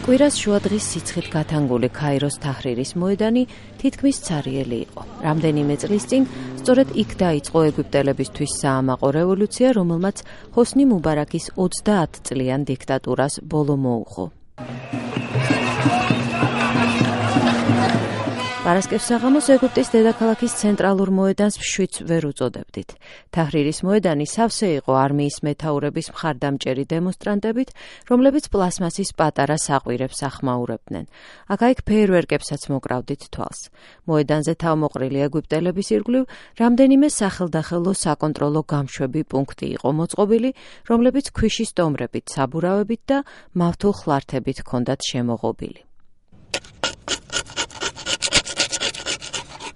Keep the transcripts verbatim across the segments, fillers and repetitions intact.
კვირას შუადღის სიცხით გათანგული ქაიროს თაჰრირის მოედანი თითქმის ცარიელი იყო. რამდენიმე წლის წინ სწორედ იქ დაიწყო ეგვიპტელებისთვის საამაყო რევოლუცია, რომელმაც ჰოსნი მუბარაკის ოცდაათწლიან დიქტატურას ბოლო მოუხო. პარასკევს საღამოს ეგვიპტის დედაქალაქის ცენტრალურ მოედანს მშვიდს ვერ უწოდებდით. თაჰრირის მოედანი სავსე იყო არმიის მეთაურების მხარდამჭერი დემონსტრანტებით, რომლებიც პლასმასის პატარა საყვირებს ახმაურებდნენ. აქა-იქ ფეირვერკებსაც მოკრავდით თვალს. მოედანზე თავმოყრილი ეგვიპტელების ირგვლივ რამდენიმე სახელდახელო საკონტროლო გამშვები პუნქტი იყო მოწყობილი, რომლებიც ქვიშის სტომრებით, საბურავებით და მავთულ ხლართებით ჰქონდათ შემოღობილი.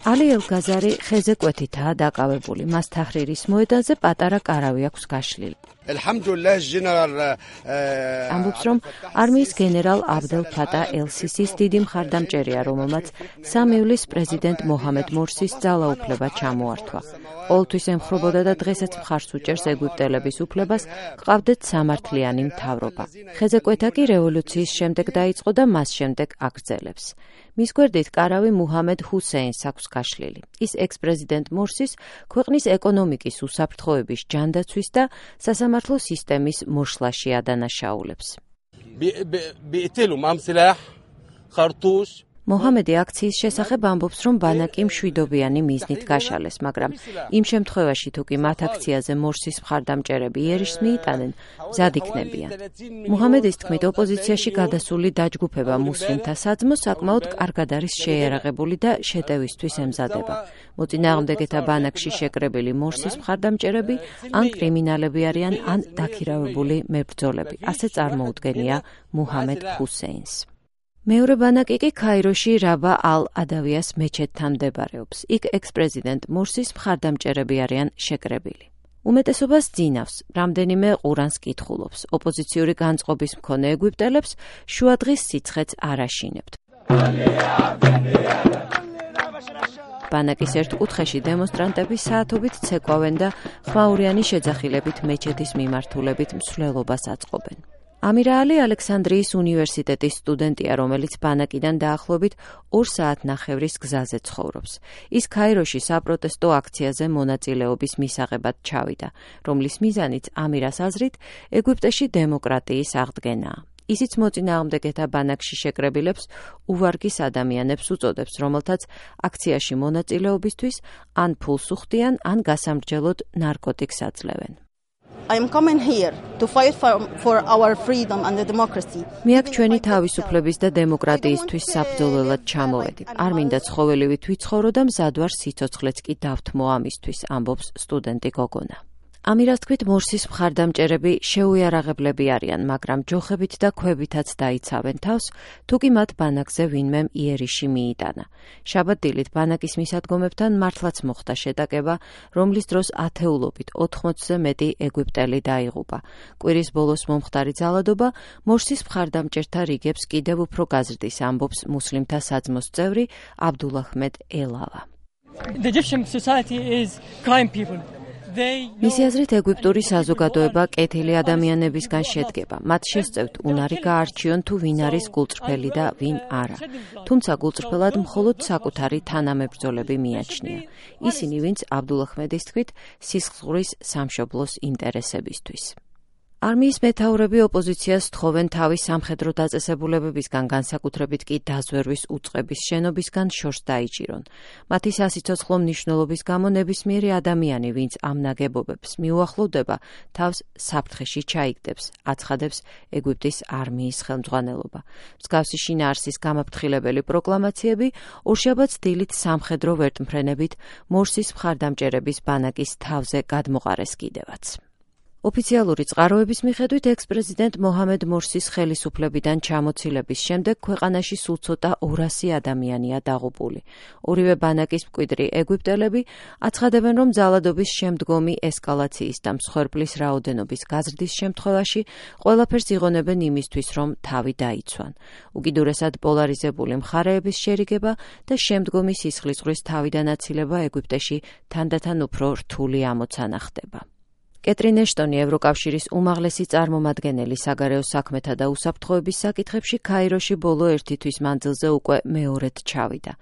ალი ელ-გაზარი ხეზე კვეთითაა დაკავებული. მას თაჰრირის მოედანზე პატარა კარავი აქვს გაშლილი. ამბობს, რომ არმიის გენერალ აბდელ ფატა ელ-სისის დიდი მხარდამჭერია, რომელმაც სამ ივლისს პრეზიდენტ მოჰამედ მორსის ძალაუფლება ჩამოართვა. ყოველთვის ემხრობოდა და დღესაც მხარს უჭერს ეგვიპტელების უფლებას, ჰყავდეთ სამართლიანი მთავრობა. ხეზე კვეთა კი რევოლუციის შემდეგ დაიწყო და მას შემდეგ აგრძელებს. მის გვერდით კარავი მუჰამედ ჰუსეინს აქვს გაშლილი. ის ექს-პრეზიდენტ მორსის ქვეყნის ეკონომიკის უსაფრთხოების ჯანდაცვის და სასამართლო სისტემის მოშლაში ადანაშაულებს. მოჰამედი აქციის შესახებ ამბობს, რომ ბანაკი მშვიდობიანი მიზნით გაშალეს, მაგრამ იმ შემთხვევაში თუ კი მათ აქციაზე მორსის მხარდამჭერები იერიშს მიიტანენ, მზად იქნებიან. მოჰამედის თქმით, ოპოზიციაში გადასული დაჯგუფება მუსლიმთა საძმო საკმაოდ კარგად არის შეიარაღებული და შეტევისთვის ემზადება. მოწინააღმდეგეთა ბანაკში შეკრებილი მორსის მხარდამჭერები ან კრიმინალები არიან, ან დაქირავებული მებრძოლები. ასე წარმოუდგენია მუჰამედ ჰუსეინს. მეორე ბანაკი კი ქაიროში რაბა ალ-ადავიას მეჩეთთან მდებარეობს. იქ ექს-პრეზიდენტ მორსის მხარდამჭერები არიან შეკრებილი. უმეტესობას ძინავს, რამდენიმე ყურანს კითხულობს. ოპოზიციური განწყობის მქონე ეგვიპტელებს შუადღის სიცხეც არ აშინებთ. ბანაკის ერთ კუთხეში დემონსტრანტები საათობით ცეკვავენ და ხმაურიანი შეძახილებით მეჩეთის მიმართულებით მსვლელობას აწყობენ. ამირა ალი ალექსანდრიის უნივერსიტეტის სტუდენტია, რომელიც ბანაკიდან დაახლოებით ორ საათნახევრის გზაზე ცხოვრობს. ის ქაიროში საპროტესტო აქციაზე მონაწილეობის მისაღებად ჩავიდა, რომლის მიზანიც ამირას აზრით ეგვიპტეში დემოკრატიის აღდგენაა. ისიც მოწინააღმდეგეთა ბანაკში შეკრებილებს უვარგის ადამიანებს უწოდებს, რომელთაც აქციაში მონაწილეობისთვის ან ფულს უხდიან, ან გასამრჯელოდ ნარკოტიკს აძლევენ. I am coming here to fight for, for our freedom and the democracy. მე აქ ჩვენი თავისუფლების და დემოკრატიისთვის საბრძოლველად ჩამოვედი. არ მინდა ცხოველივით ვიცხოვრო და მზად ვარ სიცოცხლეც კი დავთმო ამისთვის, ამბობს სტუდენტი გოგონა. ამირას თქმით, მორსის მხარდამჭერები შეუიარაღებლები არიან, მაგრამ ჯოხებით და ქვებითაც დაიცავენ თავს, თუ კი მათ ბანაკზე ვინმემ იერიში მიიტანა. შაბათ-დილით ბანაკის მისადგომებთან მართლაც მოხდა შეტაკება, რომლის დროს ათეულობით ოთხმოცზე მეტი ეგვიპტელი დაიღუპა. კვირის ბოლოს მომხდარი ძალადობა მორსის მხარდამჭერთა რიგებს კიდევ უფრო გაზრდის, ამბობს მუსლიმთა საძმოს წევრი აბდულაჰმედ ელავა. The Egyptian society is kind people. მისი აზრით, ეგვიპტური საზოგადოება კეთილი ადამიანებისგან შედგება. მათ შესწევთ უნარი გაარჩიონ თუ ვინ არის გულწრფელი და ვინ არა. თუმცა გულწრფელად მხოლოდ საკუთარი თანამებრძოლები მიაჩნია. ისინი, ვინც აბდულაჰმედის თქმით, სისხლძღვრის სამშობლოს ინტერესებისთვის. არმიის მეთაურები ოპოზიციას თხოვენ თავის სამხედრო დაწესებულებებისგან, განსაკუთრებით კი დაზვერვის უწყების შენობისგან შორს დაიჭირონ. მათი სასიცოცხლო მნიშვნელობის გამო ნებისმიერი ადამიანი, ვინც ამ ნაგებობებს მიუახლოვდება, თავს საფრთხეში ჩაიგდებს, აცხადებს ეგვიპტის არმიის ხელმძღვანელობა. მსგავსი შინაარსის გამაფრთხილებელი პროკლამაციები ორშაბათს დილით სამხედრო ვერტმფრენებით მორსის მხარდამჭერების ბანაკის თავზე გადმოყარეს კიდევაც. ოფიციალური წყაროების მიხედვით ექს-პრეზიდენტ მოჰამედ მორსის ხელისუფლებიდან ჩამოცილების შემდეგ ქვეყანაში სულ ცოტა ორასი ადამიანია დაღუპული. ორივე ბანაკის მკვიდრი ეგვიპტელები აცხადებენ, რომ ძალადობის შემდგომი ესკალაციის და მსხვერპლის რაოდენობის გაზრდის შემთხვევაში ყველაფერს იღონებენ იმისთვის, რომ თავი დაიცვან. უკიდურესად პოლარიზებული მხარეების შერიგება და შემდგომი სისხლისღვრის თავიდან აცილება ეგვიპტეში თანდათან უფრო რთული ამოცანა ხდება. კეტრინ ეშტონი ევროკავშირის უმაღლესი წარმომადგენელი საგარეო საქმეთა და უსაფრთხოების საკითხებში ქაიროში ბოლო ერთი თვის მანძილზე უკვე მეორედ ჩავიდა.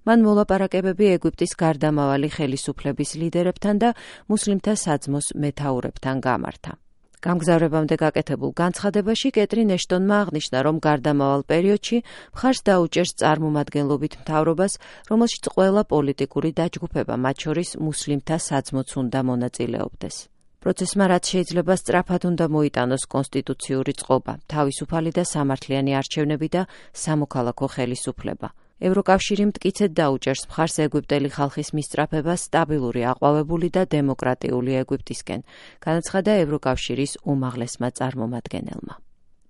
მან მოლაპარაკებები ეგვიპტის გარდამავალი ხელისუფლების ლიდერებთან და მუსლიმთა საძმოს მეთაურებთან გამართა. გამგზავრებამდე გაკეთებულ განცხადებაში კეტრინ ეშტონმა აღნიშნა, რომ გარდამავალ პერიოდში მხარს დაუჭერს წარმომადგენლობით მთავრობას, რომელშიც ყველა პოლიტიკური დაჯგუფება, მათ შორის მუსლიმთა საძმოც უნდა მონაწილეობდეს. პროცესმა რაც შეიძლება სწრაფად უნდა მოიტანოს კონსტიტუციური წყობა, თავისუფალი და სამართლიანი არჩევნები და სამოქალაქო ხელისუფლება. ევროკავშირი მტკიცედ დაუჭერს მხარს ეგვიპტელი ხალხის მისწრაფებას სტაბილური, აყვავებული და დემოკრატიული ეგვიპტისკენ, განაცხადა ევროკავშირის უმაღლესმა წარმომადგენელმა.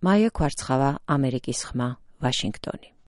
მაია ქვარცხავა, ამერიკის ხმა, ვაშინგტონი.